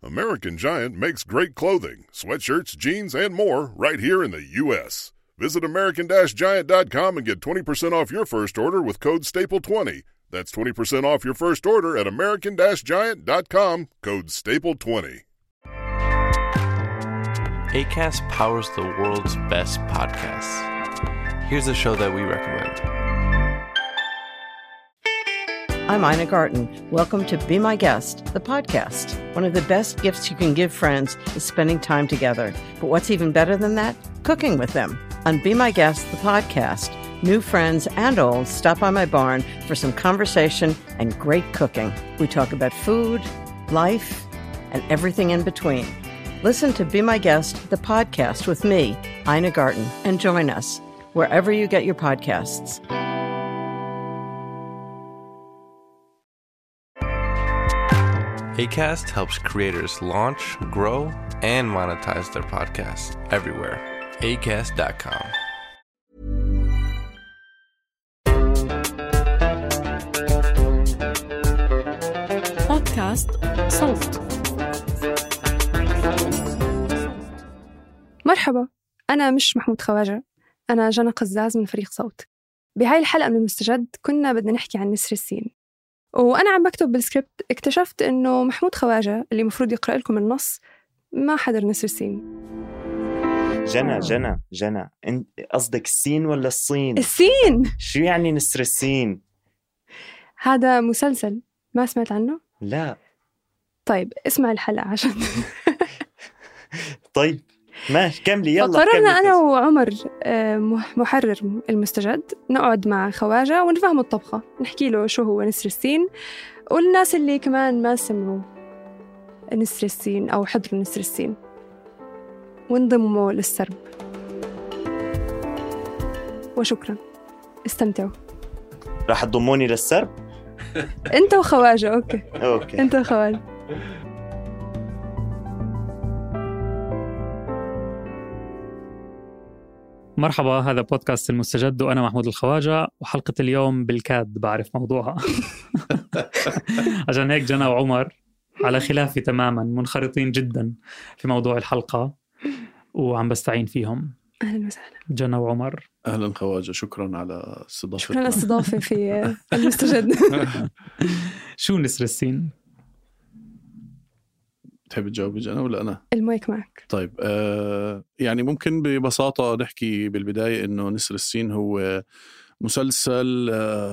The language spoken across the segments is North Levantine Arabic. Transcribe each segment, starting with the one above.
American Giant makes great clothing, sweatshirts, jeans, and more right here in the U.S. Visit American-Giant.com and get 20% off your first order with code STAPLE20. That's 20% off your first order at American-Giant.com, code STAPLE20. Acast powers the world's best podcasts. Here's a show that we recommend. I'm Ina Garten. Welcome to Be My Guest, the podcast. One of the best gifts you can give friends is spending time together. But what's even better than that? Cooking with them. On Be My Guest, the podcast, new friends and old stop by my barn for some conversation and great cooking. We talk about food, life, and everything in between. Listen to Be My Guest, the podcast with me, Ina Garten, and join us wherever you get your podcasts. Acast helps creators launch, grow, and monetize their podcasts everywhere. Acast.com. بودكاست صوت. مرحبا، أنا مش محمود خواجة، أنا جنى قزاز من فريق صوت. بهاي الحلقة من المستجد كنا بدنا نحكي عن نسر السين، وأنا عم بكتب بالسكريبت اكتشفت إنه محمود خواجة اللي مفروض يقرأ لكم النص ما حضر نسر السين. جنى انت قصدك السين ولا الصين؟ السين. شو يعني نسر السين؟ هذا مسلسل ما سمعت عنه؟ لا. طيب اسمع الحلقة عشان طيب ماشي كملي يلا. قررنا أنا وعمر محرر المستجد نقعد مع خواجة ونفهم الطبخة، نحكي له شو هو نسر السين، والناس اللي كمان ما سمعوا نسر السين أو حضروا نسر السين وانضموا للسرب. وشكرا، استمتعوا. راح تضموني للسرب؟ أنت وخواجة. أوكي. أنت وخواجة. مرحبا، هذا بودكاست المستجد وأنا محمود الخواجة، وحلقة اليوم بالكاد بعرف موضوعها. عشان هيك جنى وعمر على خلافي تماما، منخرطين جدا في موضوع الحلقة وعم بستعين فيهم. أهلا وسهلا جنى وعمر. أهلا خواجة، شكرا على استضافتنا. شكرا على الاستضافة في المستجد. شو نسر السين؟ تحب تجاوب جنى ولا أنا؟ المايك معك. طيب يعني ممكن ببساطة نحكي بالبداية إنه نسر السين هو مسلسل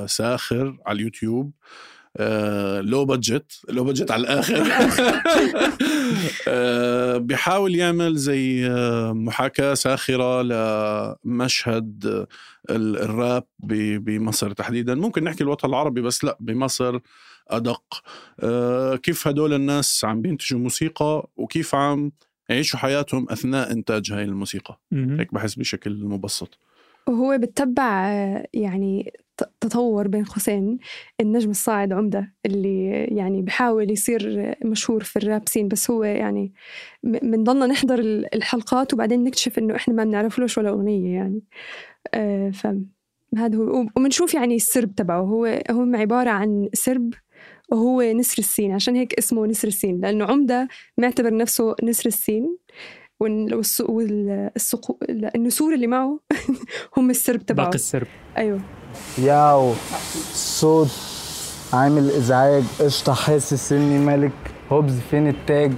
ساخر على اليوتيوب، لو بادجت على الآخر. بيحاول يعمل زي محاكاة ساخرة لمشهد الراب بمصر تحديدا. ممكن نحكي الوطن العربي بس لا، بمصر أدق. كيف هدول الناس عم بينتجوا موسيقى وكيف عم يعيشوا حياتهم أثناء إنتاج هاي الموسيقى. هيك بحس بشكل مبسط. وهو بتتبع يعني تطور بين قوسين النجم الصاعد عمدة اللي يعني بحاول يصير مشهور في الراب سين، بس هو يعني بنضلنا نحضر الحلقات وبعدين نكتشف إنه إحنا ما بنعرف لهش ولا أغنية يعني. فهذا هو، ومنشوف يعني السرب تبعه هو عبارة عن سرب وهو نسر السين، عشان هيك اسمه نسر السين، لأنه عمدة معتبر نفسه نسر السين، والنسور اللي معه هم السرب تبعه، باقي السرب. أيوه. ياو صوت عامل إزعاج، قشطة حاسس إني ملك، هوبز فين التاج،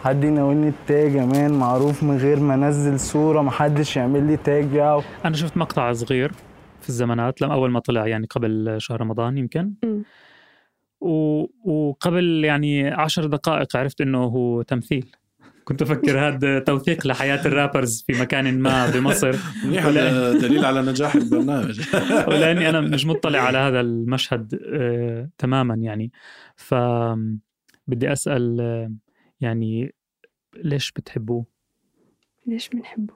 حد يناولني التاج يا مان، معروف من غير ما أنزل صورة محدش يعمل لي تاج. ياو أنا شفت مقطع صغير في الزمانات لما أول ما طلع يعني قبل شهر رمضان يمكن، وقبل يعني 10 دقائق عرفت إنه هو تمثيل. كنت أفكر هذا توثيق لحياة الرابرز في مكان ما بمصر. دليل على نجاح البرنامج. ولأني أنا مش مطلع على هذا المشهد تماما يعني، فبدي أسأل يعني ليش بتحبوه؟ ليش بنحبه؟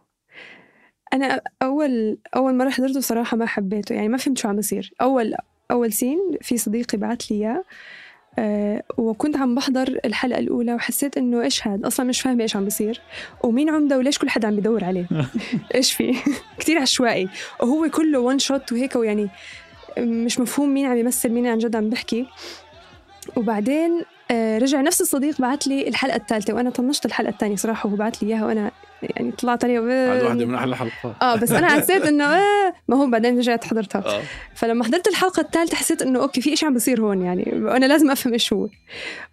أنا أول مرة حضرته صراحة ما حبيته، يعني ما فهمت شو عم يصير. أول سين في صديقي بعت لي إياه، وكنت عم بحضر الحلقة الأولى وحسيت إنه إيش هاد، أصلاً مش فاهمة إيش عم بصير ومين عمدة وليش كل حد عم بيدور عليه. إيش فيه؟ كتير عشوائي، وهو كله وان شوت وهيك، ويعني مش مفهوم مين عم يمثل مين عن جد عم بحكي. وبعدين رجع نفس الصديق بعت لي الحلقة الثالثة وأنا طنشت الحلقة الثانية صراحة، وهو بعت لي إياها وأنا يعني طلعت عليها هذا واحدة من أحلى الحلقات. بس أنا حسيت إنه ما هو بعدين رجعت حضرتها. فلما حضرت الحلقة الثالثة حسيت إنه أوكي في إشي عم بصير هون يعني، وأنا لازم أفهم إيش هو.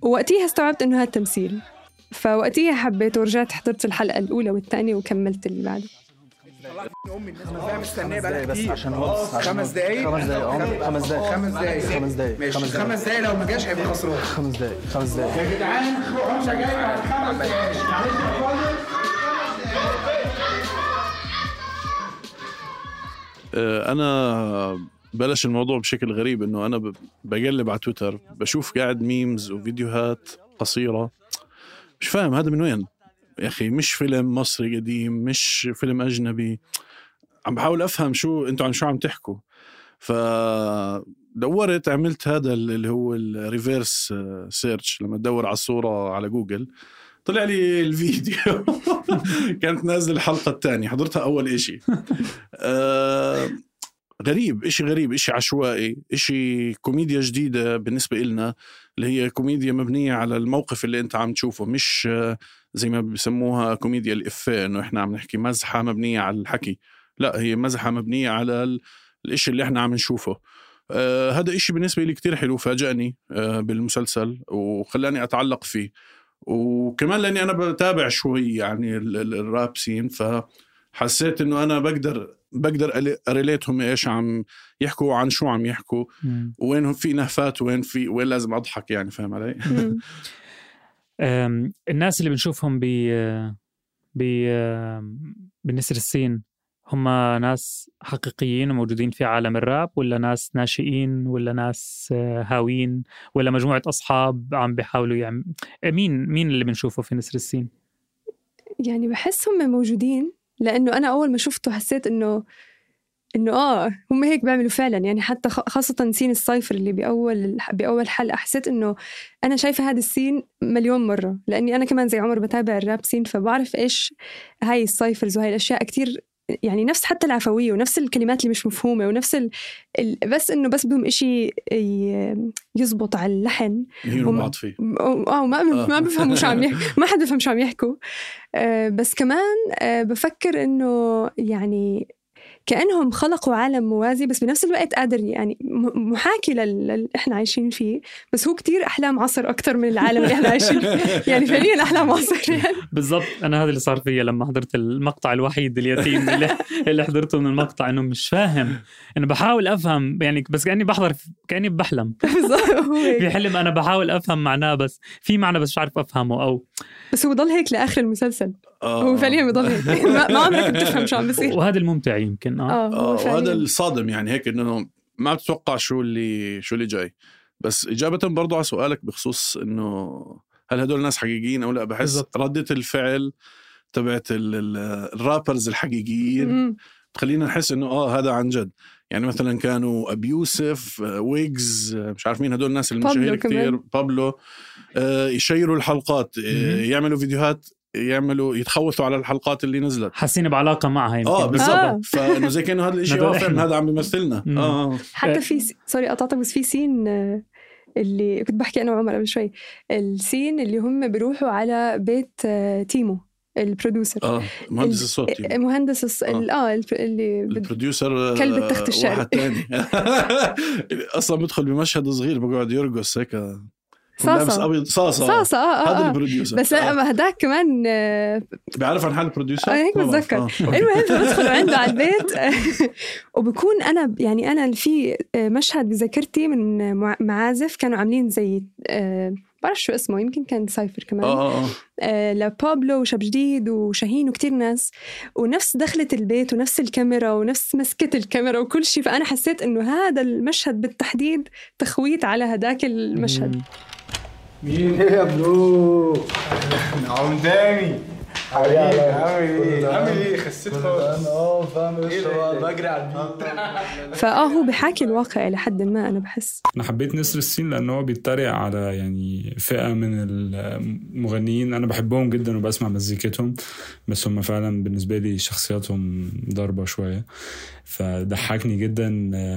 ووقتها استوعبت إنه هذا تمثيل، فوقتها حبيت ورجعت حضرت الحلقة الأولى والثانية وكملت اللي بعده. امي الناس مش مستنيه بقى بس عشان هو 5 دقايق 5 دقايق ماشي 5 دقايق لو ما جاش هيبقى خسران. 5 دقايق يا جدعان مش جاي بعد 5 دقايق انا بلش الموضوع بشكل غريب انه انا بقلب على تويتر بشوف قاعد ميمز وفيديوهات قصيره مش فاهم هذا من وين يا أخي. مش فيلم مصري قديم، مش فيلم أجنبي. عم بحاول أفهم شو أنتوا عن شو عم تحكوا. فدورت عملت هذا اللي هو الريفيرس سيرش، لما تدور على الصورة على جوجل طلع لي الفيديو. كانت نازل الحلقة الثانية، حضرتها أول إشي. غريب، إشي غريب، إشي عشوائي، إشي كوميديا جديدة بالنسبة إلنا، اللي هي كوميديا مبنية على الموقف اللي أنت عم تشوفه، مش زي ما بيسموها كوميديا الإفيه، إنه إحنا عم نحكي مزحة مبنية على الحكي. لا، هي مزحة مبنية على الإشي اللي إحنا عم نشوفه. هذا إشي بالنسبة لي كتير حلو، فاجأني بالمسلسل وخلاني أتعلق فيه. وكمان لأني أنا بتابع شوي يعني الراب سين، فحسيت إنه أنا بقدر أريليتهم إيش عم يحكوا، عن شو عم يحكوا، وين في نهفات وين لازم أضحك يعني. فاهم علي؟ الناس اللي بنشوفهم بنسر السين هم ناس حقيقيين وموجودين في عالم الراب، ولا ناس ناشئين، ولا ناس هاوين، ولا مجموعة أصحاب عم بيحاولوا يعني مين اللي بنشوفه في نسر السين؟ يعني بحس هم موجودين، لأنه أنا أول ما شفته حسيت إنه هم هيك بيعملوا فعلا يعني. حتى خاصة سين الصيفر اللي بأول حلقة حسيت إنه أنا شايفة هذا السين مليون مرة، لأني أنا كمان زي عمر بتابع الراب سين، فبعرف إيش هاي الصيفرز وهاي الأشياء كتير يعني، نفس حتى العفوية ونفس الكلمات اللي مش مفهومة ونفس بس إنه بس بدهم إشي يزبط على اللحن ما بفهموا شو عم يحكوا، ما حد بفهم شو عم يحكوا. بس كمان بفكر إنه يعني كأنهم خلقوا عالم موازي، بس بنفس الوقت قادر يعني محاكي للي إحنا عايشين فيه، بس هو كتير أحلام عصر أكتر من العالم اللي إحنا عايشين فيه. يعني فعليا أحلام عصر يعني. بالضبط. أنا هذا اللي صار فيا لما حضرت المقطع الوحيد اليتيم اللي حضرته من المقطع، إنه مش فاهم، إنه بحاول أفهم يعني، بس كأني بحلم في حلم. أنا بحاول أفهم معناه، بس في معنى بس مش عارف أفهمه، بس هو ضل هيك لآخر المسلسل. هو فعليا بضل هيك. ما عمرك بتفهم شو عم بيصير. وهذا الممتع يمكن. وهذا الصادم يعني، هيك إنه ما بتتوقع شو اللي جاي. بس إجابة برضو على سؤالك بخصوص إنه هل هدول الناس حقيقيين أو لا، بحس بالزبط. ردة الفعل تبعت الرابرز الحقيقيين تخلينا نحس إنه هذا عن جد. يعني مثلا كانوا أبي يوسف، ويجز، مش عارف مين هدول الناس المشاهير كتير، بابلو، يشيروا الحلقات، يعملوا فيديوهات، يتخوثوا على الحلقات اللي نزلت، حاسين بعلاقة معها يمكن. بالضبط. فإنه زي كأنه هذا الشيء فعلا هذا عم بيمثلنا. حتى في سوري قطعتك، بس في سين اللي كنت بحكي أنا وعمر قبل شوي، السين اللي هم بيروحوا على بيت تيمو البروديوسر، مهندس الصوت، مهندس اللي البروديوسر، كلب التخت الشعري. واحد تاني أصلا بدخل بمشهد صغير بقعد يرقص هيك صاصة أبيض، صاصة. هذا البروديوسر. بس هداك كمان بيعرف عن حال البروديوسر. هيك بتذكر. المهم بدخل عنده على البيت وبكون أنا في مشهد بذاكرتي من معازف كانوا عاملين زي بعرف شو اسمه، يمكن كان سايفر كمان، لبابلو وشاب جديد وشاهين وكتير ناس، ونفس دخلة البيت ونفس الكاميرا ونفس مسكة الكاميرا وكل شيء. فأنا حسيت إنه هذا المشهد بالتحديد تخويت على هداك المشهد. مين يا برو؟ نعم تاني. عامل ايه خسيت خالص. فاهم بجري على البيت. هو بحاكي الواقع لحد ما أنا بحس. أنا حبيت نسر السين لأنه هو بيتريق على يعني فئة من المغنيين أنا بحبهم جدا وبسمع مزيكتهم، بس هم فعلا بالنسبة لي شخصياتهم ضربة شوية. فضحكني جدا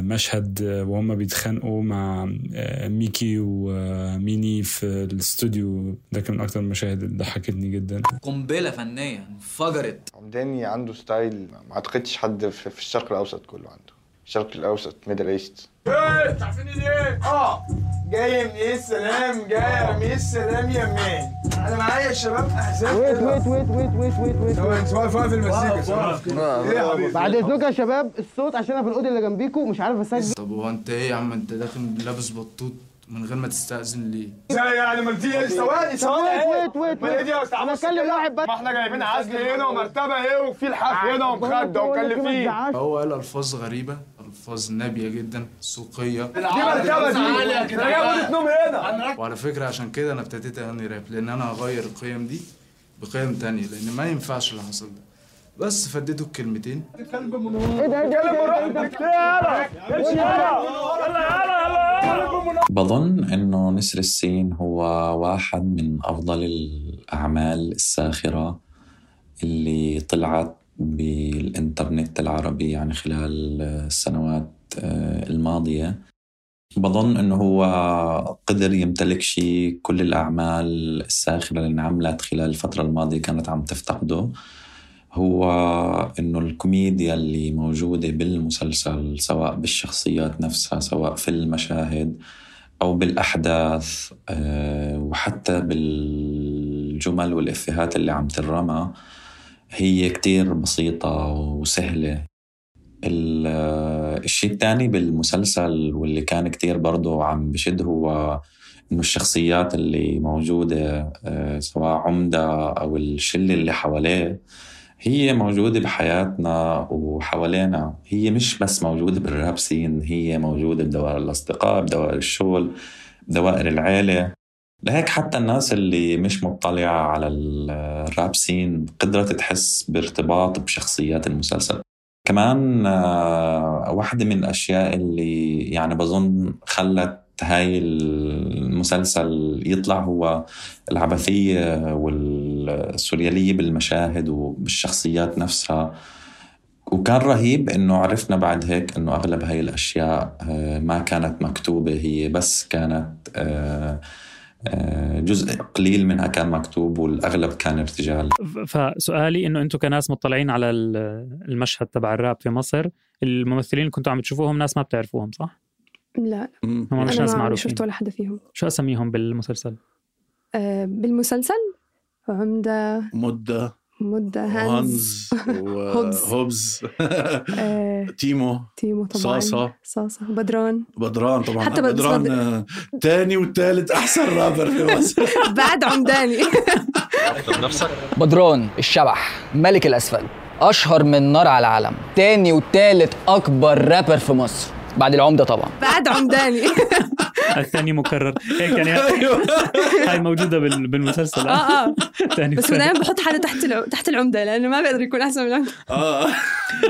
مشهد وهم بيتخانقوا مع ميكي وميني في الاستوديو، ده كان من أكتر المشاهد اللي ضحكتني جدا. قنبلة فنية انفجرت. عمداني عنده ستايل ما اعتقدش حد في الشرق الاوسط كله عنده. الشرق الاوسط ميدل ايست. عارفين ايه؟ جاي من السلام، جاي من السلام يا مان. انا معايا الشباب احزاب. ويت اسمعوا في المزيكا. ايه يا حبيبي؟ بعد اذنكم يا شباب الصوت عشان انا في الاوضه اللي جنبيكم مش عارف اسجل. طب هو انت ايه يا عم؟ انت داخل لابس بطوط من غير ما تستأذن ليه؟ ازاي يعني ما دي ويت انا اكلم واحد بس. ما احنا جايبين عزل هنا ومرتبه ايه وفي الحف هنا ومخده ومكلفين. هو قال الفاظ غريبه، الفاظ نابيه جدا، سوقيه. دي مرتبه دي انا جايب نوم هنا. وعلى فكره عشان كده انا ابتديت اغني راب، لان انا هغير القيم دي بقيم تانية، لان ما ينفعش اللي حصل ده. بس فديته الكلمتين. بظن إنه نسر السين هو واحد من أفضل الأعمال الساخرة اللي طلعت بالإنترنت العربي يعني خلال السنوات الماضية. بظن إنه هو قدر يمتلك شيء كل الأعمال الساخرة اللي انعملت خلال الفترة الماضية كانت عم تفتقده، هو إنه الكوميديا اللي موجودة بالمسلسل سواء بالشخصيات نفسها سواء في المشاهد أو بالأحداث وحتى بالجمل والإفيهات اللي عم ترمى هي كتير بسيطة وسهلة. الشيء الثاني بالمسلسل واللي كان كتير برضو عم بشد هو إنه الشخصيات اللي موجودة سواء عمدة أو الشلة اللي حواليه هي موجودة بحياتنا وحوالينا، هي مش بس موجودة بالراب سين، هي موجودة بدوائر الأصدقاء، بدوائر الشغل، بدوائر العائلة. لهيك حتى الناس اللي مش مطلعة على الراب سين قدرت تحس بارتباط بشخصيات المسلسل. كمان واحدة من الأشياء اللي يعني بظن خلت هاي المسلسل يطلع هو العبثية والسوريالية بالمشاهد وبالشخصيات نفسها. وكان رهيب إنه عرفنا بعد هيك إنه أغلب هاي الأشياء ما كانت مكتوبة، هي بس كانت جزء قليل منها كان مكتوب والأغلب كان ارتجال. فسؤالي إنه أنتوا كناس مطلعين على المشهد تبع الراب في مصر، الممثلين اللي كنتوا عم تشوفوهم ناس ما بتعرفوهم صح؟ لا هم مش ناس معروفين. شفت ولا حدا فيهم. شو أسميهم بالمسلسل؟ بالمسلسل عمدة مدة هانز وهوبز تيمو طبعا صاصة بدران طبعا حتى بدران تاني وثالث أحسن رابر في مصر بعد عمداني. بدران الشبح ملك الأسفل أشهر من نار على العالم، تاني وثالث أكبر رابر في مصر بعد العمدة طبعا بعد عمداني. الثاني مكرر هيك يعني. هاي موجودة بالمسلسل. بس دائما بحط حاله تحت العمدة لأنه ما بيقدر يكون أحسن من العمدة.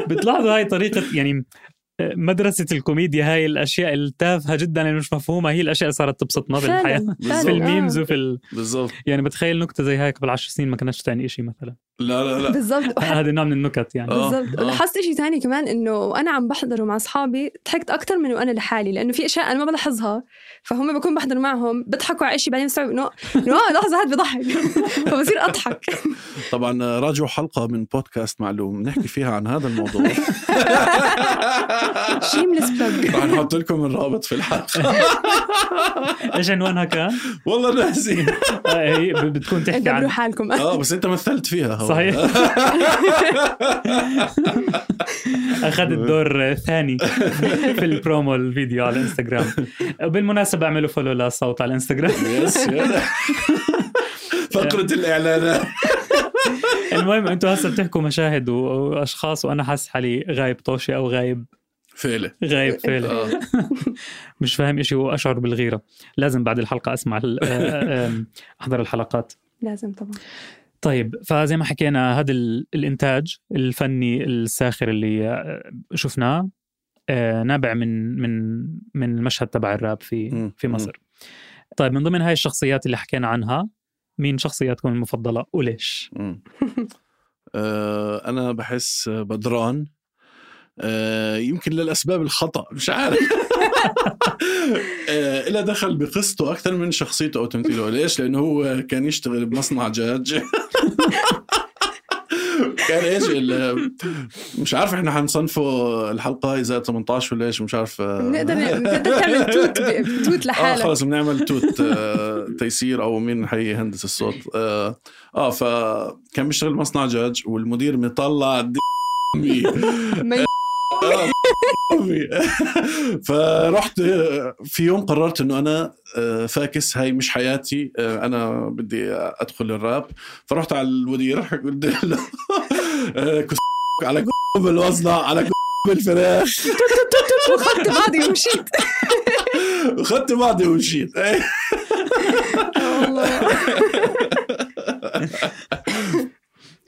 بتلاحظوا هاي طريقة يعني مدرسة الكوميديا، هاي الأشياء التافهة جدا اللي مش مفهومة هي الأشياء صارت تبسطنا بالحياة في الميمز وفي بالضبط. يعني بتخيل نكتة زي هاي قبل 10 سنين ما كانتش تعني إشي مثلا. لا بالضبط. هذا نوع من النكت يعني. بالضبط. لاحظت إشي تاني كمان إنه أنا عم بحضره مع أصحابي ضحكت أكتر من وأنا لحالي، لأنه في أشياء أنا ما بلاحظها فهم بكون بحضر معهم بضحكوا على إشي بعدين بستوعب إنه لحظة هاد بضحك فبصير أضحك. طبعا راجعوا حلقة من بودكاست معلوم نحكي فيها عن هذا الموضوع. شيمليس بلاج. راح نحط لكم الرابط في الحلقة. إيش عنوانها كان؟ والله ناسي. هي بتكون تحكي عن حالكم. بس أنت مثلت فيها. صحيح. أخذ الدور ثاني في البرومو الفيديو على الانستغرام. بالمناسبة اعملوا فولو للصوت على الانستغرام. فقرة الإعلانات. المهم أنتوا هسه بتحكوا مشاهد وأشخاص وأنا حاسس حالي غايب طوشي أو غايب فعله. مش فاهم إشي وأشعر بالغيرة. لازم بعد الحلقة أسمع أحضر الحلقات. لازم طبعا. طيب فزي ما حكينا هذا الإنتاج الفني الساخر اللي شفناه نابع من المشهد تبع الراب في مصر. طيب من ضمن هاي الشخصيات اللي حكينا عنها مين شخصياتكم المفضلة وليش؟ أنا بحس بدران، يمكن للأسباب الخطأ مش عارف. إلا دخل بقصته أكثر من شخصيته أو تمثيله. ليش؟ لأنه هو كان يشتغل بمصنع دجاج. كان إيش مش عارف إحنا حنصنفه الحلقة إذا 18 ولا إيش مش عارف. نقدر تعمل توت لحالك. خلاص بنعمل توت تيسير أو مين حي هندس الصوت. فكان بيشتغل مصنع دجاج والمدير مطلع فرحت في يوم قررت انه انا فاكس هاي مش حياتي، انا بدي ادخل الراب. فرحت على المدير قلت له على بالوصلة على بالفراخ وخدت بعضي ومشيت. وخدت بعضي ومشيت.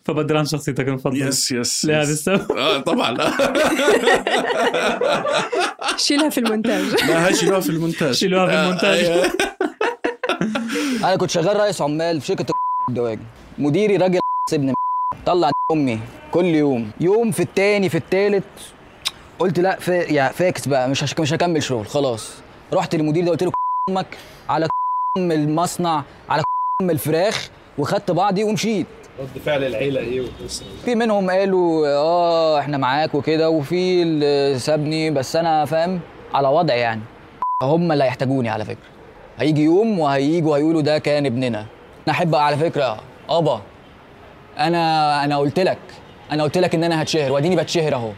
فبدران شخصيتك المفضلة؟ يس لهذا السبب. طبعا. شيلها في المونتاج. لا هاي شيلوها في المونتاج. انا كنت شغال رئيس عمال في شركه الدواجن. مديري راجل ابن طلع امي كل يوم في التاني في التالت. قلت لا يا فاكس بقى مش هكمل شغل خلاص. رحت للمدير ده قلت له امك على المصنع على الفراخ، وخدت بعضي ومشيت. رد فعل العيله ايه والاسره؟ في منهم قالوا احنا معاك وكده، وفي اللي سابني، بس انا فاهم على وضع يعني. هم اللي هيحتاجوني على فكره. هيجي يوم وهييجوا هيقولوا ده كان ابننا. انا احب على فكره ابا انا قلت لك ان انا هتشهر، واديني بتشهر اهو،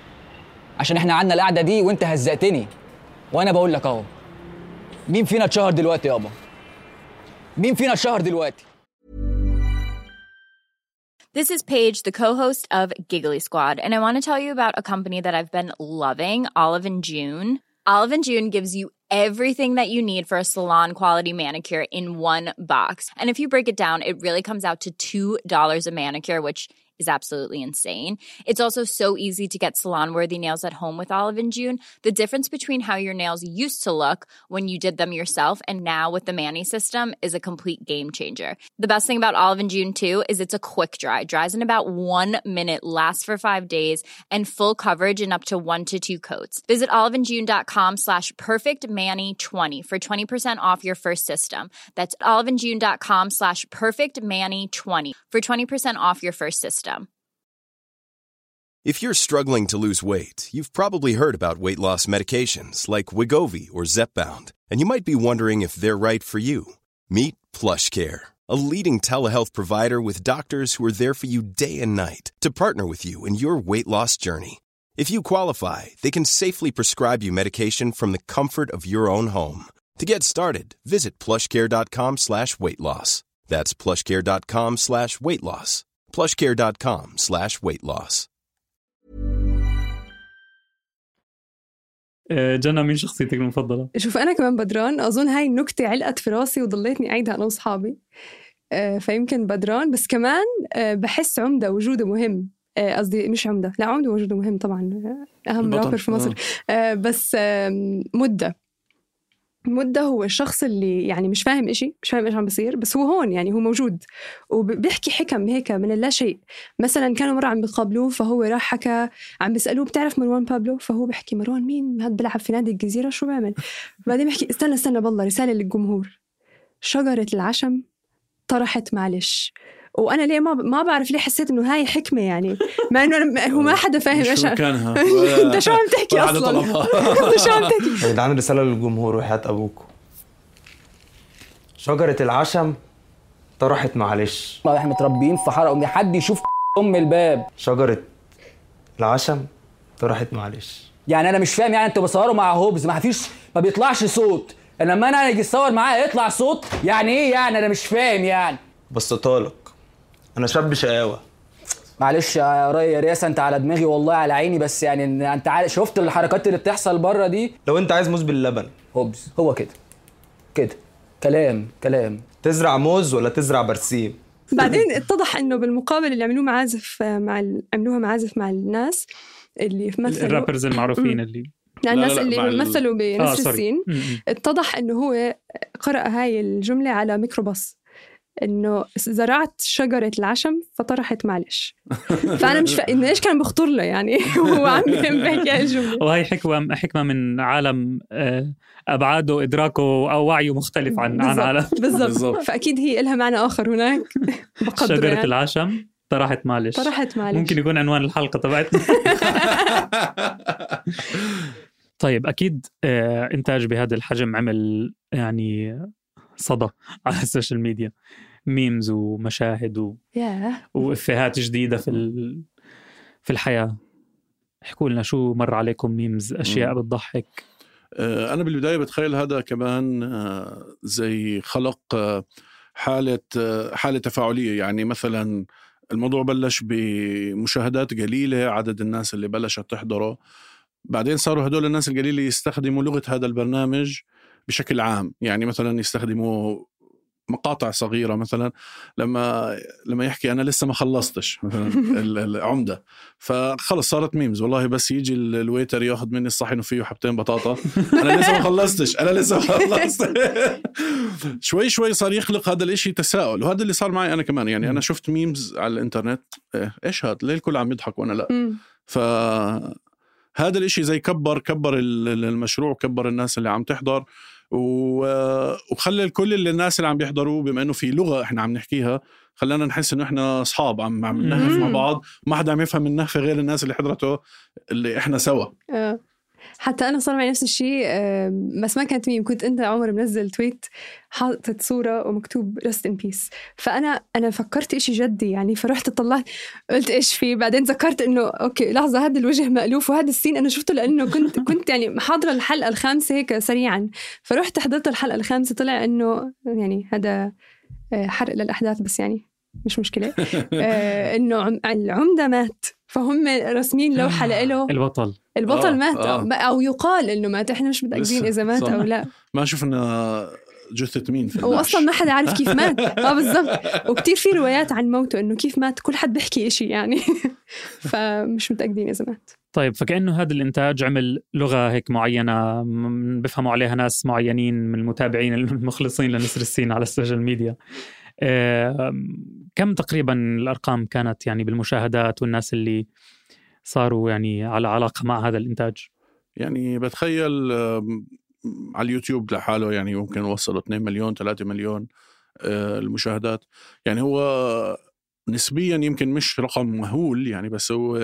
عشان احنا عندنا القعده دي وانت هزقتني، وانا بقول لك اهو. مين فينا اتشهر دلوقتي يابا؟ مين فينا اتشهر دلوقتي؟ This is Paige, the co-host of Giggly Squad, and I want to tell you about a company that I've been loving, Olive & June. Olive & June gives you everything that you need for a salon-quality manicure in one box. And if you break it down, it really comes out to $2 a manicure, which is absolutely insane. It's also so easy to get salon-worthy nails at home with Olive & June. The difference between how your nails used to look when you did them yourself and now with the Mani system is a complete game changer. The best thing about Olive & June too is it's a quick dry. Dries in about 1 minute, lasts for 5 days, and full coverage in up to 1 to 2 coats. Visit oliveandjune.com/perfectmani20 for 20% off your first system. That's oliveandjune.com/perfectmani20 for 20% off your first system. If you're struggling to lose weight, you've probably heard about weight loss medications like Wegovy or Zepbound, and you might be wondering if they're right for you. Meet PlushCare, a leading telehealth provider with doctors who are there for you day and night to partner with you in your weight loss journey. If you qualify, they can safely prescribe you medication from the comfort of your own home. To get started, visit plushcare.com/weightloss. That's plushcare.com/weightloss. plushcare.com/weightloss. جنى مين شخصيتك المفضلة؟ شوف أنا كمان بدران. أظن هاي النكتة علقت في راسي وضليتني أعيدها أنا وصحابي. فيمكن بدران، بس كمان بحس عمدة وجوده مهم. قصدي مش عمدة، لا عمدة وجوده مهم طبعا، أهم رابر في مصر. بس مدة هو الشخص اللي يعني مش فاهم إيش عم بيصير، بس هو هون يعني هو موجود وبيحكي حكم هيك من اللا شيء. مثلا كانوا مرة عم بيقابلوه، فهو راح حكى، عم بيسألوه بتعرف مروان بابلو؟ فهو بيحكي مروان مين؟ هاد بلعب في نادي الجزيرة، شو بعمل؟ بعدين بيحكي استنى بالله، رسالة للجمهور: شجرة العشم طرحت معلش. وانا ليه ما بعرف ليه حسيت انه هاي حكمه، يعني مع انه هو ما حدا فاهم ايش كانها. انت شو عم تحكي اصلا؟ انت شو عم تحكي؟ ده عندي رساله للجمهور وحياه ابوكم: شجره العشم طرحت معلش. احنا متربيين في حاره، وما حد يشوف الباب. شجره العشم طرحت معلش. يعني انا مش فاهم، يعني انتوا بتصوروا مع هوبز ما بيطلعش صوت، لما انا اجي اصور معاه يطلع صوت، يعني ايه يعني؟ انا مش فاهم يعني. بس طالق انا شاب شقاوه. معلش يا رياسه، انت على دماغي والله على عيني، بس يعني انت شفت الحركات اللي بتحصل بره دي. لو انت عايز موز باللبن هوبز، هو كده كلام. تزرع موز ولا تزرع برسيم؟ بعدين اتضح إنه بالمقابل اللي عملوه معازف عملوها معازف مع الناس اللي مثلوا الرابرز المعروفين اللي الناس اللي مثلوا بنسر السين. اتضح إنه هو قرأ هاي الجملة على ميكروباص، إنه زرعت شجرة العشم فطرحت معلش. فأنا مش إنه إيش كان بخطر له يعني هو عم بيحكي هاي الجملة. وهي حكمة من عالم أبعاده إدراكه أو وعيه مختلف عن عالم. بالضبط. فأكيد هي إلها معنى آخر هناك. شجرة يعني. العشم طرحت معلش. ممكن يكون عنوان الحلقة تبعتنا. طيب أكيد إنتاج بهذا الحجم عمل يعني صدى على السوشيال ميديا، ميمز ومشاهد وإفيهات جديدة في الحياة. احكوا لنا شو مر عليكم ميمز، أشياء بتضحك. أنا بالبداية بتخيل هذا كمان زي خلق حالة تفاعلية. يعني مثلا الموضوع بلش بمشاهدات قليلة، عدد الناس اللي بلشت تحضره، بعدين صاروا هدول الناس القليلة يستخدموا لغة هذا البرنامج بشكل عام. يعني مثلا يستخدموا مقاطع صغيرة، مثلا لما يحكي أنا لسه ما خلصتش مثلا العمدة، فخلص صارت ميمز. والله بس يجي الويتر ياخد مني الصحن وفيه حبتين بطاطا، أنا لسه ما خلصتش. شوي شوي صار يخلق هذا الاشي تساؤل، وهذا اللي صار معي أنا كمان. يعني أنا شفت ميمز على الإنترنت، إيش هذا؟ ليه الكل عم يضحك وأنا لا؟ فهذا الاشي زي كبر المشروع، كبر الناس اللي عم تحضر، وخلى الكل الناس اللي عم بيحضروا، بما انه في لغة احنا عم نحكيها، خلانا نحس انه احنا اصحاب عم نهف مع بعض، ما حدا عم يفهم النهفة غير الناس اللي حضرته اللي احنا سوا. حتى أنا صار معي نفس الشيء، بس ما كانت ميم. كنت أنت عمر منزل تويت حاطت صورة ومكتوب rest in peace، فأنا فكرت إشي جدي يعني، فرحت طلعت قلت إيش فيه. بعدين ذكرت إنه أوكي لحظة، هذا الوجه مألوف وهذا السين أنا شفته، لأنه كنت يعني محاضرة الحلقة الخامسة هيك سريعا، فرحت حضرت الحلقة الخامسة، طلع إنه يعني هذا حرق للأحداث، بس يعني مش مشكلة. إنه العمدة مات، فهم رسمين لوحة له البطل مات أو يقال إنه مات. إحنا مش متأكدين إذا مات أو لا، ما شفنا جثة مين في وأصلا ما حدا عارف كيف مات. بالضبط. وكتير في روايات عن موته إنه كيف مات، كل حد بيحكي إشي يعني. فمش متأكدين إذا مات. طيب فكأنه هذا الإنتاج عمل لغة هيك معينة بفهموا عليها ناس معينين من المتابعين المخلصين لنسر السين على السوشيال ميديا. كم تقريبا الأرقام كانت يعني بالمشاهدات والناس اللي صاروا يعني على علاقة مع هذا الإنتاج؟ يعني بتخيل على اليوتيوب لحاله يعني ممكن وصلوا 2 مليون 3 مليون المشاهدات. يعني هو نسبيا يمكن مش رقم مهول يعني، بس هو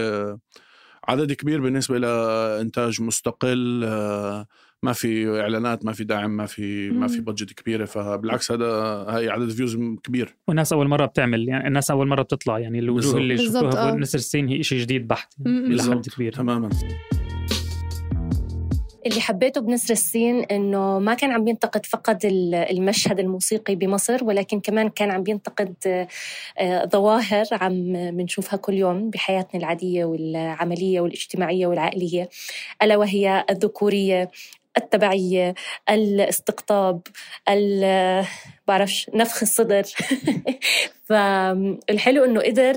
عدد كبير بالنسبة لإنتاج مستقل، ما في إعلانات، ما في دعم، ما في بادجت كبيرة. فبالعكس هاي عدد فيوز كبير، والناس أول مرة بتعمل، يعني الناس أول مرة بتطلع، يعني الوجوه اللي شفتوها بنسر السين هي إشي جديد بحت يعني إلى حد كبير. تماما. اللي حبيته بنسر السين إنه ما كان عم بينتقد فقط المشهد الموسيقي بمصر، ولكن كمان كان عم بينتقد ظواهر عم بنشوفها كل يوم بحياتنا العادية والعملية والاجتماعية والعائلية، ألا وهي الذكورية، التبعية، الاستقطاب، بعرفش نفخ الصدر. فالحلو إنه قدر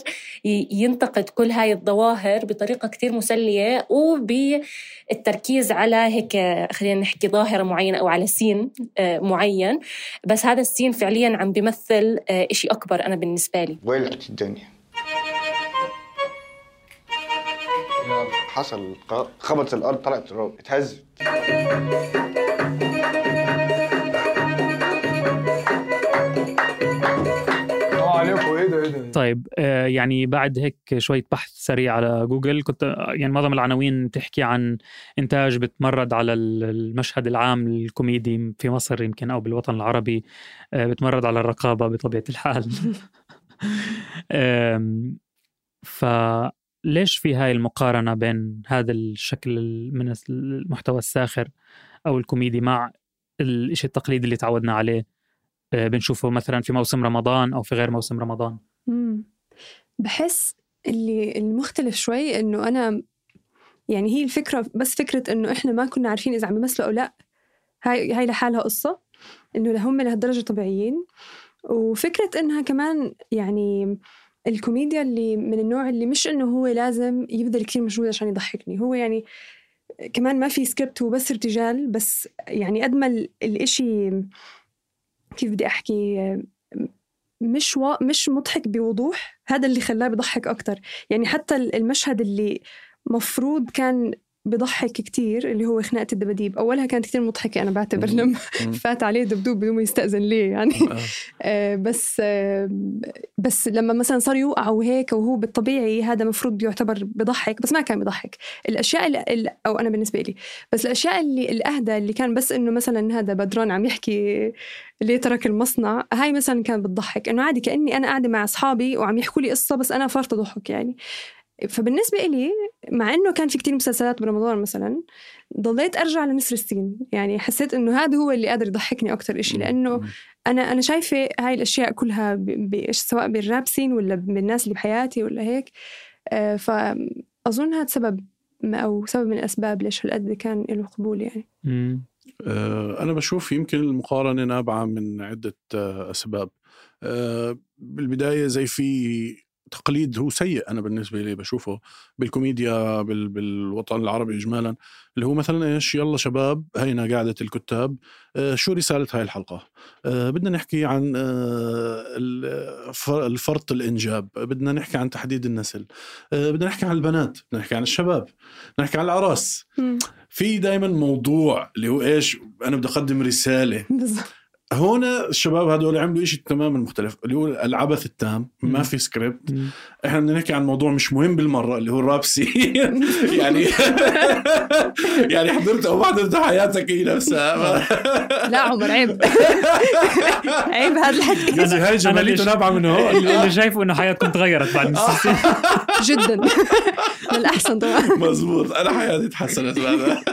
ينتقد كل هاي الظواهر بطريقة كتير مسلية، وبالتركيز على هيك خلينا نحكي ظاهرة معينة أو على سين معين، بس هذا السين فعليا عم بيمثل إشي أكبر. أنا بالنسبة لي ولعت الدنيا، حصل خبط الأرض، طلعت تراب، اتهزت. طيب يعني بعد هيك شوية بحث سريع على جوجل، كنت يعني معظم العناوين تحكي عن إنتاج بتمرد على المشهد العام الكوميدي في مصر يمكن أو بالوطن العربي، بتمرد على الرقابة بطبيعة الحال. فليش في هاي المقارنة بين هذا الشكل من المحتوى الساخر أو الكوميدي مع الإشي التقليدي اللي تعودنا عليه بنشوفه مثلا في موسم رمضان أو في غير موسم رمضان؟ بحس اللي المختلف شوي إنه أنا يعني هي الفكرة، بس فكرة إنه إحنا ما كنا عارفين إذا عم يمثلوا أو لا، هاي لحالها قصة، إنه هم لهالدرجة طبيعيين. وفكرة إنها كمان يعني الكوميديا اللي من النوع اللي مش إنه هو لازم يبذل كتير مجهود عشان يضحكني، هو يعني كمان ما في سكريبت وبس ارتجال، بس يعني قد ما الإشي كيف بدي أحكي مش مضحك بوضوح، هذا اللي خلاه بيضحك أكتر. يعني حتى المشهد اللي مفروض كان بضحك كتير اللي هو خناقة الدباديب، أولها كانت كتير مضحكة أنا بعتبر لما فات عليه دبدوب بدون ما يستأذن ليه يعني بس لما مثلا صار يوقع وهيك وهو بالطبيعي هذا مفروض بيعتبر بضحك، بس ما كان بضحك. الأشياء أو أنا بالنسبة لي بس الأشياء اللي الأهدى اللي كان بس إنه مثلا هذا بدران عم يحكي ليه ترك المصنع، هاي مثلا كان بتضحك إنه عادي كأني أنا قاعدة مع أصحابي وعم يحكوا لي قصة بس أنا فرط ضحك يعني. فبالنسبة إلي مع إنه كان في كتير مسلسلات برمضان مثلا ضليت أرجع لنسر السين، يعني حسيت إنه هذا هو اللي قادر يضحكني أكتر إشي، لأنه أنا شايفة هاي الأشياء كلها سواء بالراب سين ولا بالناس اللي بحياتي ولا هيك. فأظن هذا سبب أو سبب من الأسباب ليش هالقد كان له قبول يعني. أنا بشوف يمكن المقارنة نابعة من عدة أسباب. بالبداية زي في تقليد هو سيء أنا بالنسبة لي بشوفه بالكوميديا بالوطن العربي إجمالا، اللي هو مثلا إيش يلا شباب هينا قاعدة الكتاب، شو رسالة هاي الحلقة؟ بدنا نحكي عن الفرط الإنجاب، بدنا نحكي عن تحديد النسل، بدنا نحكي عن البنات، بدنا نحكي عن الشباب، بدنا نحكي عن العراس. في دايما موضوع اللي هو إيش أنا بدي أقدم رسالة. هون الشباب هذول عملوا إشي تماما مختلف اللي هو العبث التام، ما في سكريبت. إحنا بدنا نحكي عن موضوع مش مهم بالمرة اللي هو الراب سين يعني يعني حضرت أو ما حضرت حياتك هي نفسها. لا عمر عيب عيب هذا الحكي. هاي جماليته نابعة منه هون. اللي شايفه إنه حياتكم تغيرت بعد السين جدا للأحسن طبعا. مزبوط، أنا حياتي تحسنت بعدها.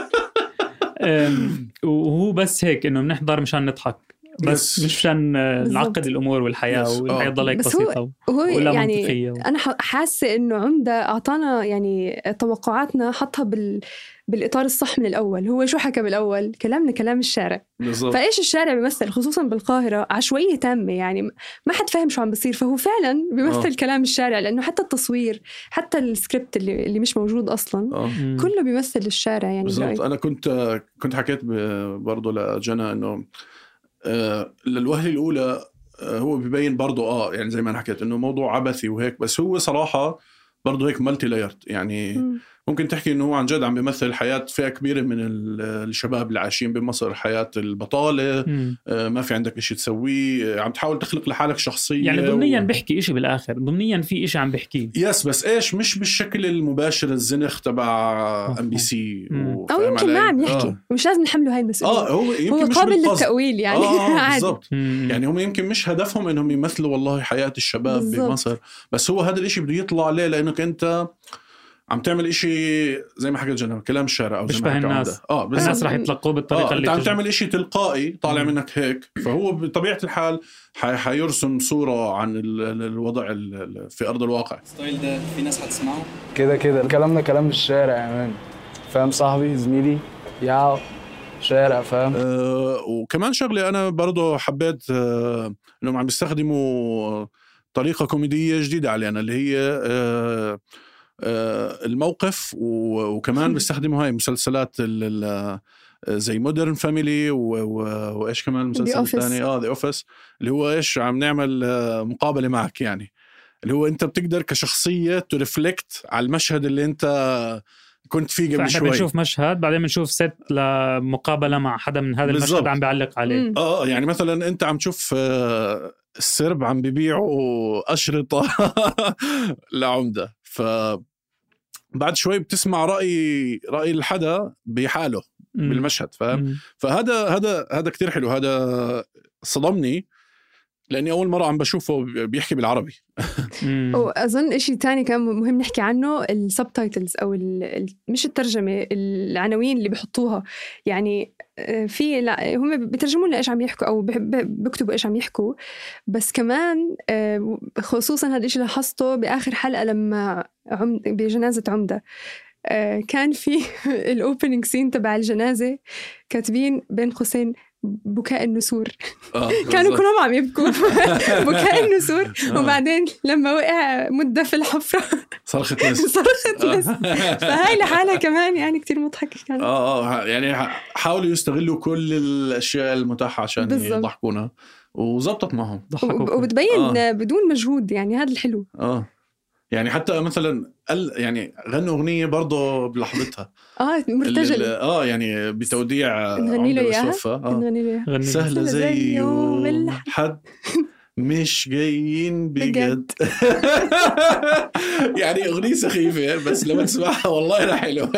وهو بس هيك إنه بنحضر مشان نضحك بس مش عشان نعقد الأمور والحياة والحياة ضلها بسيطة ولا يعني منطقية. أنا حاسة إنه عمدة أعطانا يعني توقعاتنا حطها بالإطار الصح من الأول. هو شو حكى بالأول؟ كلامنا كلام الشارع بالزبط. فإيش الشارع بيمثل خصوصا بالقاهرة؟ عشوائية تامة، يعني ما حد فاهم شو عم بصير، فهو فعلا بيمثل كلام الشارع، لأنه حتى التصوير حتى السكريبت اللي مش موجود أصلا كله بيمثل الشارع يعني بالضبط. أنا كنت حكيت برضو لجنى إنه للوهلة الأولى هو بيبين برضو يعني زي ما أنا حكيت إنه موضوع عبثي وهيك، بس هو صراحة برضو هيك مالتي لايرد يعني. ممكن تحكي إنه هو عن جد عم بيمثل حياة فئة كبيرة من الشباب اللي عايشين بمصر، حياة البطالة، ما في عندك إشي تسويه، عم تحاول تخلق لحالك شخصية يعني ضمنيا بيحكي إشي بالآخر، ضمنيا في إشي عم بيحكيه بس إيش مش بالشكل المباشر الزنخ تبع MBC أو يمكن ما عم يحكي مش لازم نحمله هاي المسؤولية. هو قابل للتأويل يعني بالضبط. يعني هم يمكن مش هدفهم إنهم يمثلوا والله حياة الشباب بمصر، بس هو هذا الإشي بده يطلع عليه لأنك أنت عم تعمل إشي زي ما حكيت جنى كلام الشارع أو زي ما حكى الناس. الناس راح يتلقوه بالطريقة اللي عم تعمل إشي تلقائي طالع منك هيك، فهو بطبيعة الحال حيرسم صورة عن الوضع في أرض الواقع. ستايل ده في ناس هتسمعه كده كلامنا كلام الشارع يا مان، فاهم صاحبي زميلي يا شارع فاهم. وكمان شغلة أنا برضو حبيت إنهم عم بيستخدموا طريقة كوميدية جديدة علينا اللي هي الموقف، وكمان بيستخدموا هاي مسلسلات زي مودرن فاميلي وإيش كمان المسلسل الثاني The Office اللي هو إيش عم نعمل مقابلة معك، يعني اللي هو أنت بتقدر كشخصية ترفلكت على المشهد اللي أنت كنت فيه قبل شوي. بنشوف مشهد بعدين بنشوف ست لمقابلة مع حدا من هذا المشهد عم بيعلق عليه. يعني مثلا أنت عم تشوف السرب عم بيبيعوا أشرطة لعمدة، فبعد شوي بتسمع رأي الحدا بحاله بالمشهد، فاهم؟ فهذا كتير حلو. هذا صدمني لأني أول مرة عم بشوفه بيحكي بالعربي. وأظن إشي تاني كان مهم نحكي عنه السبتايتلز أو مش الترجمة، العناوين اللي بيحطوها. يعني هم بيترجمون لإيش عم يحكوا أو بيكتبوا إيش عم يحكوا، بس كمان خصوصا هذا الإشي لاحظته بآخر حلقة لما بجنازة عمدة كان في الأوبننج سين تبع الجنازة كاتبين بين قوسين بكاء النسور. كانوا كلهم عم يبكوا بكاء النسور. وبعدين لما وقع مدة في الحفرة صرخت ناس. فهاي لحالها كمان يعني كتير مضحكة كانت. يعني حاولوا يستغلوا كل الأشياء المتاحة عشان يضحكونا وزبطت معهم. وبتبين بدون مجهود يعني هذا الحلو. يعني حتى مثلا يعني غنوا أغنية برضو بلحظتها مرتجل. يعني بتوديع نغني له إياها. سهلة زي يوم الحد مش جايين بجد. يعني أغنية سخيفة بس لما تسمعها والله لا حلوة.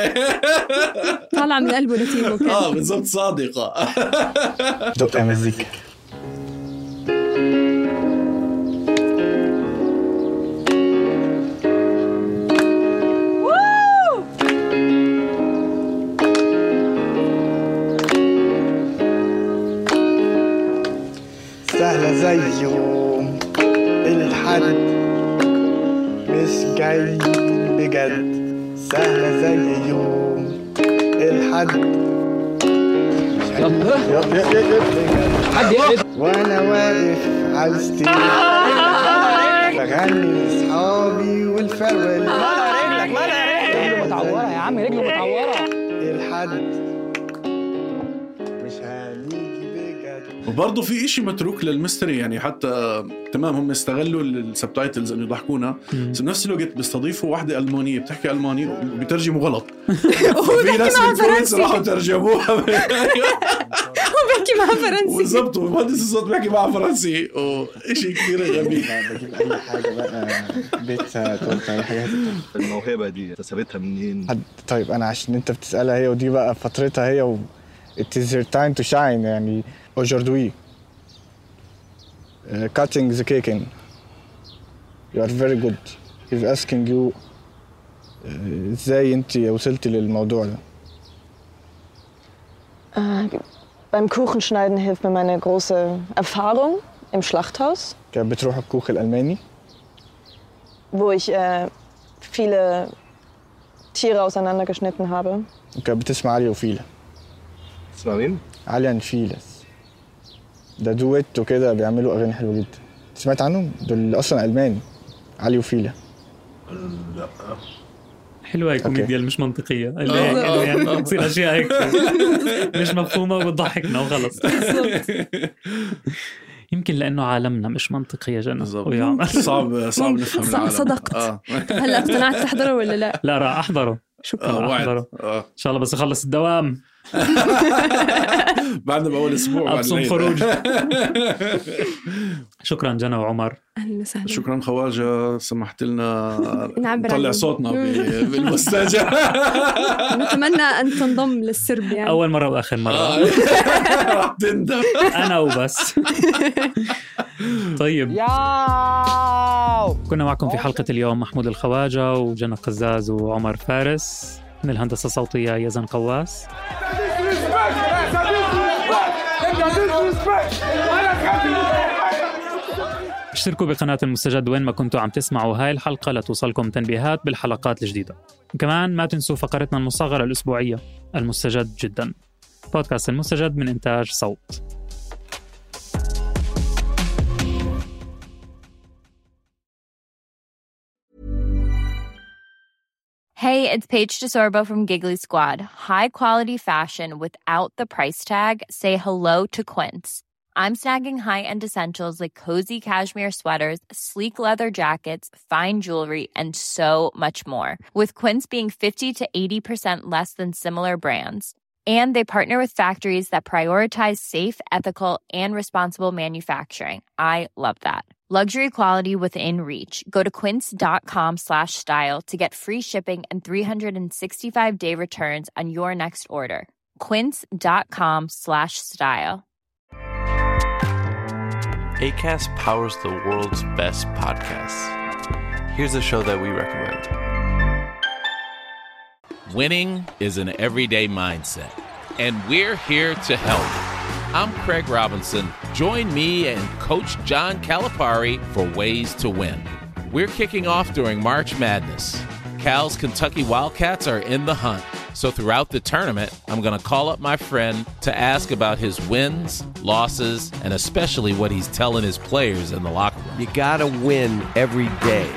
طالعة من قلبه نتيمه. بالضبط صادقة. دقة مزيكا. سهلة زي يوم الحد مش جاي بجد. سهلة زي يوم الحد وانا واقف على الستيج بغني لاصحابي والفرول. رجله متعورة يا عم، رجله متعورة. الحد مش هنيجي بجد. وبرضه في إشي متروك للميستري يعني حتى تمام هم استغلوا السبتايتلز انه يضحكونا بس بنفس الوقت بيستضيفوا واحدة ألمانية بتحكي ألماني وبيترجموا غلط. في ناس بالكويت راحوا ترجموها وبحكي معها فرنسي. بالضبط ومهندس الصوت بيحكي معها فرنسي وإشي كتير غبي. بجيب أي حاجة بقى بيتزا تورتة أي حاجة. الموهبة دي اكتسبتها منين؟ طيب أنا عشان أنت بتسألها هي ودي بقى فترتها هي it is your time to shine يعني aujourd'hui cutting the cake in. You are very good. He's asking you ازاي انت وصلتي للموضوع ده؟ Beim Kuchenschneiden hilft mir meine große Erfahrung im Schlachthaus. كانت بتروح الكوخ الألماني. Wo ich viele Tiere auseinandergeschnitten habe. وكانت بتسمع علي وفيلا. تسمع مين؟ علي وفيلس. ده دويت وكده بيعملوا أغاني حلوة جدا. سمعت عنهم؟ دول أصلا ألماني. علي وفيلا. لا. حلوة الكوميديا مش منطقية اللي يعني بتصير أشياء هيك مش مفهومة وبتضحكنا وخلص. يمكن لأنه عالمنا مش منطقي يا جنى. صعب نفهم العالم. صدقت. هلا اقتنعت تحضره ولا لا؟ لا راح أحضره. شكرا أحضره إن شاء الله بس أخلص الدوام. بعدنا بأول أسبوع أبصم خروج. شكرا جنى وعمر. أهلا وسهلا. شكرا خواجة سمحت لنا نطلع صوتنا بالمستجة. نتمنى أن تنضم للسرب يعني. أول مرة وآخر مرة. راح تندم. أنا وبس. طيب كنا معكم في حلقة اليوم محمود الخواجة وجنى قزاز وعمر فارس. من الهندسة الصوتية يزن قواس. اشتركوا بقناة المستجد وين ما كنتوا عم تسمعوا هاي الحلقة لتوصلكم تنبيهات بالحلقات الجديدة. كمان ما تنسوا فقرتنا المصغرة الأسبوعية المستجد جدا. بودكاست المستجد من إنتاج صوت. Hey, it's Paige DeSorbo from Giggly Squad. High quality fashion without the price tag. Say hello to Quince. I'm snagging high-end essentials like cozy cashmere sweaters, sleek leather jackets, fine jewelry, and so much more. With Quince being 50 to 80% less than similar brands. And they partner with factories that prioritize safe, ethical, and responsible manufacturing. I love that. Luxury quality within reach. Go to quince.com/style to get free shipping and 365-day returns on your next order. Quince.com/style. Acast powers the world's best podcasts. Here's a show that we recommend. Winning is an everyday mindset, and we're here to help. I'm Craig Robinson. Join me and Coach John Calipari for Ways to Win. We're kicking off during March Madness. Cal's Kentucky Wildcats are in the hunt, So throughout the tournament, I'm going to call up my friend to ask about his wins, losses, and especially what he's telling his players in the locker room. You gotta win every day.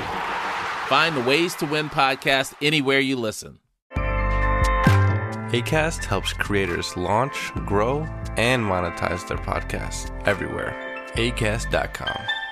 Find the Ways to Win podcast anywhere you listen. Acast helps creators launch, grow, and monetize their podcasts everywhere. Acast.com.